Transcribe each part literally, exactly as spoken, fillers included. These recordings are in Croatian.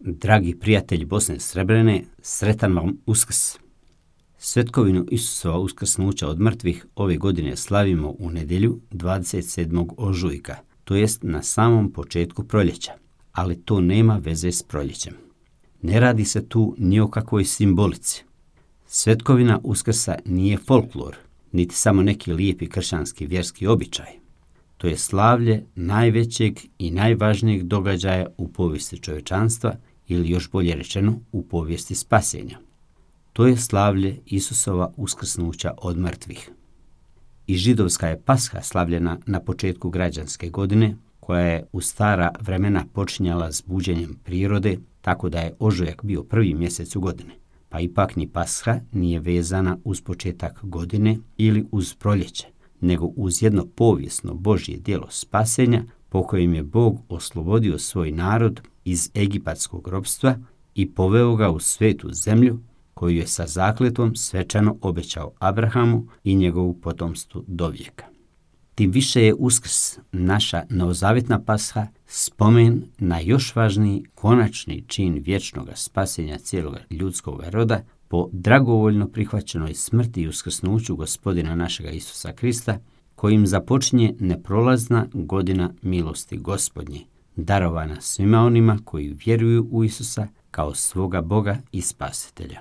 Dragi prijatelji Bosne i Srebrene, sretan vam Uskrs! Svetkovinu Isusova uskrsnuća od mrtvih ove godine slavimo u nedjelju dvadeset sedmog ožujka, to jest na samom početku proljeća, ali to nema veze s proljećem. Ne radi se tu ni o kakvoj simbolici. Svetkovina Uskrsa nije folklor, niti samo neki lijepi kršćanski vjerski običaj. To je slavlje najvećeg i najvažnijeg događaja u povijesti čovječanstva, ili još bolje rečeno u povijesti spasenja. To je slavlje Isusova uskrsnuća od mrtvih. I židovska je Pasha slavljena na početku građanske godine, koja je u stara vremena počinjala s buđenjem prirode, tako da je ožujak bio prvi mjesec u godine. Pa ipak ni Pasha nije vezana uz početak godine ili uz proljeće, nego uz jedno povijesno Božje djelo spasenja po kojem je Bog oslobodio svoj narod iz egipatskog ropstva i poveo ga u svetu zemlju koju je sa zakletvom svečano obećao Abrahamu i njegovu potomstvu do vijeka. Tim više je Uskrs, naša novozavjetna Pasha, spomen na još važniji konačni čin vječnog spasenja cijelog ljudskog roda po dragovoljno prihvaćenoj smrti i uskrsnuću Gospodina našega Isusa Krista, kojim započinje neprolazna godina milosti Gospodnje, darovana svima onima koji vjeruju u Isusa kao svoga Boga i Spasitelja.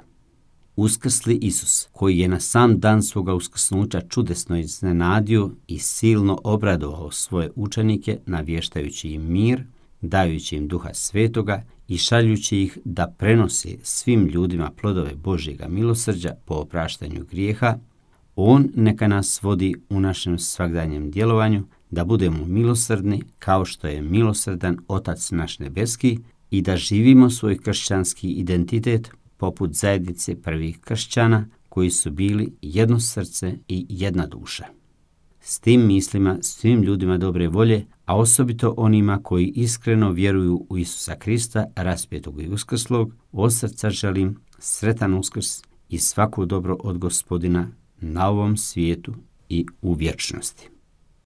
Uskrsli Isus, koji je na sam dan svoga uskrsnuća čudesno iznenadio i silno obradovao svoje učenike, navještajući im mir, dajući im Duha Svetoga i šaljući ih da prenose svim ljudima plodove Božjega milosrđa po opraštanju grijeha, On neka nas vodi u našem svagdanjem djelovanju, da budemo milosrdni kao što je milosrdan Otac naš nebeski i da živimo svoj kršćanski identitet poput zajednice prvih kršćana koji su bili jedno srce i jedna duša. S tim mislima svim ljudima dobre volje, a osobito onima koji iskreno vjeruju u Isusa Krista, raspetog i uskrslog, od srca želim sretan Uskrs i svako dobro od Gospodina na ovom svijetu i u vječnosti.